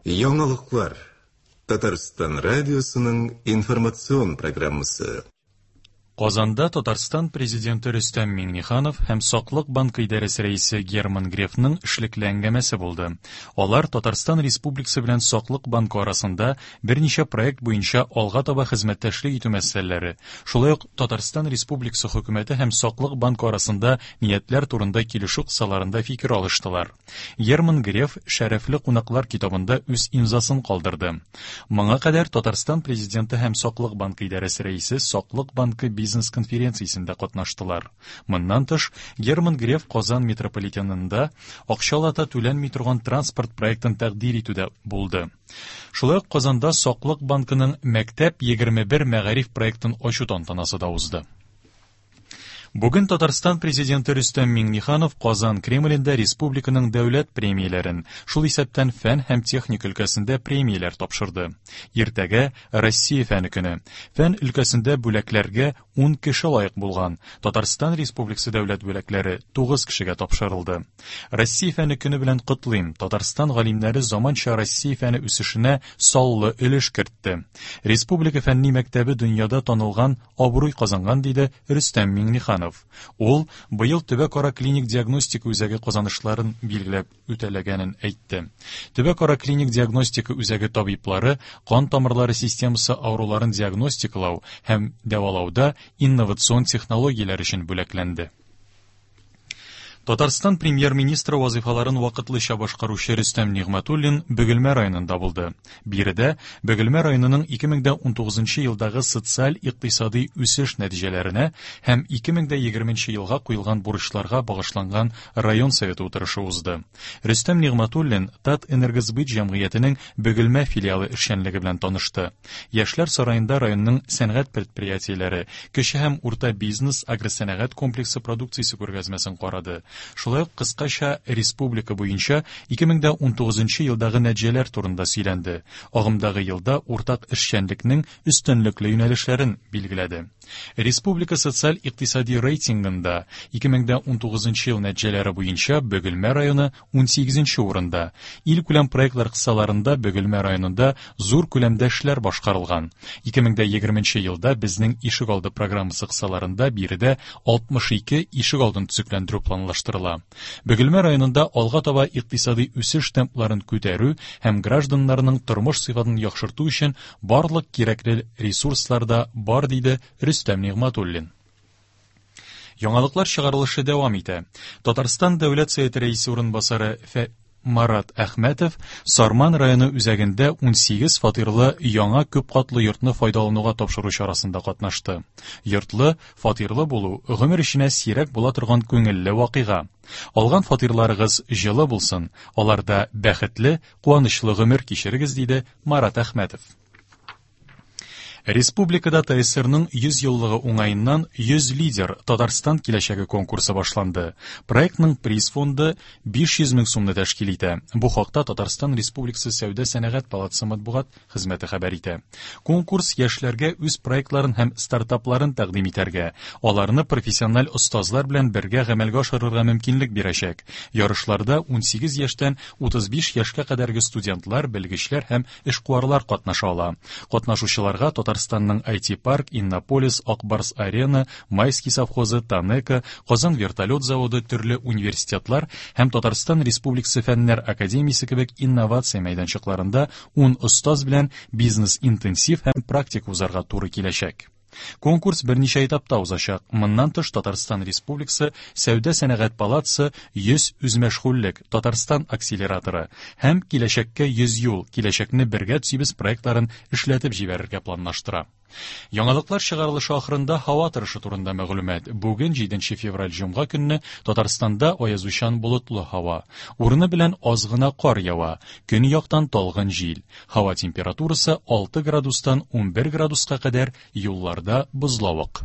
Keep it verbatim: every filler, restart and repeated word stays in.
Яңалыклар. Татарстан радиосының информацион программасы. Казанда Татарстан Президенты Рөстәм Миңнеханов һәм Саклык банкы идарәсе рәисе Герман Грефның эшлекле әңгәмәсе булды. Алар Татарстан Республикасы белән Саклык банкы арасында берничә проект буенча алга таба хезмәттәшлек итү мәсьәләләре, шулай ук Татарстан Республикасы хөкүмәте һәм Саклык банкы арасында ниятләр турында килешү кысаларында фикер алыштылар. Герман Греф шәрәфле кунаклар китабында үз имзасын калдырды. Моңа кадәр Татарстан Президенты һәм Саклык банкы идарәсе рәисе Саклык банкы бизнес-конференциясендә катнаштылар. Моннан тыш, Герман Греф Казан метрополитенында акчалата түләнми торган транспорт проектын тәкъдир итүдә булды. Шулай ук Казанда Саклык банкының Мәктәп егерме бер мәгариф проектын ачу тантанасы да узды. Бүген Татарстан Президенты Рөстәм Миңнеханов Казан Кремлендә республиканың дәүләт премияләрен, шул исәптән фән һәм техника өлкәсендә премияләр тапшырды. Иртәгә Россия фәне көне. Фән өлкәсендә бүләкләргә ун кеше лаек булган. Татарстан Республикасы дәүләт бүләкләре тугыз кешегә тапшырылды. Россия фәне көне белән котлыйм. Татарстан галимнәре заманча Россия фәне үсешенә саллы өлеш кертте. Республика фәнни мәктәбе дөньяда танылган абруй казанган, диде Рөстәм Миңнеханов. Ул быел төбәкара клиник диагностика үзәге казанышларын билгеләп үтәләгәнен әйтте. Төбәкара клиник диагностика үзәге табиблары кан тамырлары системасы авыруларын диагностикалау һәм дәвалауда инновацион технологияләр өчен бүләкләнде. Татарстан премьер-министры вазифаларын вакытлыча башкаручы Рөстәм Нигъмәтуллин Бөгелмә районында булды. Биредә Бөгелмә районының ике мең дә унтугызынчы елдагы социаль-икътисади үсеш нәтиҗәләренә һәм ике мең дә егерменче елга куелган бурычларга багышланган район советы утырышы узды. Рөстәм Нигъмәтуллин Татэнергосбыт җәмгыятенең Бөгелмә филиалы эшчәнлеге белән танышты. Яшьләр сараенда районның сәнәгать предприятиеләре, кече һәм урта бизнес, агросәнәгать комплексы продукциясе күргәзмәсен карады. Шулай ук кыскача республика буенча ике мең дә унтугызынчы елдагы нәтиҗәләр турында сөйләнде. Агымдагы елда уртак эшчәнлекнең өстенлекле юнәлешләрен билгеләде. Республика социаль-икътисади рейтингында ике мең дә унтугызынчы ел нәтиҗәләре буенча Бөгелмә районы унсигезенче урында. Илкүләм проектлар кысаларында Бөгелмә районында зур күләмдә эшләр башкарылган. Ике мең дә егерменче елда безнең ишегалды программасы кысаларында биредә алтмыш ике ишегалдын төзекләндерү планлаштырыла. Бөгелмә районында алга таба икътисади үсеш темпларын күтәрү һәм гражданнарның тормыш сыйфатын яхшырту өчен барлык кирәкле ресурслар да бар, диде Рөстәм Нигъмәтуллин. Яңалыклар чыгарылышы дәвам итә. Татарстан Дәүләт Советы рәисе урынбасары Фә-, Марат Әхмәтов Сарман районы үзәгендә унсигез фатирлы яңа күпкатлы йортны файдалануга тапшыру чарасында катнашты. Йортлы, фатирлы булу гомер эченә сирәк була торган күңелле вакыйга. Алган фатирларыгыз җылы булсын, аларда бәхетле, куанычлы гомер кичерегез, диде Марат Әхмәтов. Республикада ТСРның йөз еллыгы уңаеннан йөз лидер Татарстан киләчәге конкурсы башланды. Проектның приз фонды биш йөз мең сумны тәшкил итә. Бу хакта Татарстан Республикасы Сәүдә сәнәгать палатасы матбугат хезмәте хәбәр итә. Конкурс яшьләргә үз проектларын һәм стартапларын тәкъдим итәргә, аларны профессиональ остазлар белән бергә гамәлгә ашырырга мөмкинлек бирәчәк. Ярышларда унсигез яшьтән утыз биш яшькә кадәрге студентлар, белгечләр һәм эшкуарлар катнаша ала. Катнашучыларга Татарстанның ай ти парк, Иннополис, Акбарс Арена, Майский совхозы, Танека, Казан вертолет заводы, төрле университетлар һәм Татарстан Республикасы Фәннәр академиясе кебек инновация мәйданчыкларында ун остаз белән бизнес-интенсив һәм практик узарга туры киләчәк. Конкурс берничә этапта узачак. Моннан тыш Татарстан Республикасы Сәүдә сәнәгать палатасы йөз үзмәшгульлек Татарстан акселераторы һәм киләчәккә йөз юл, киләчәкне бергә төзибез проектларын эшләтеп җибәрергә планлаштыра. Яңалыклар чыгарылышы ахырында һава торышы турында мәгълүмат. Бүген җиденче февраль җомга көнне Татарстанда аязучан болытлы һава. Урыны белән аз гына кар ява. Көньяктан талгын җил. Һава температурасы алты градустан унбер градуска кадәр, юлларда бозлавык.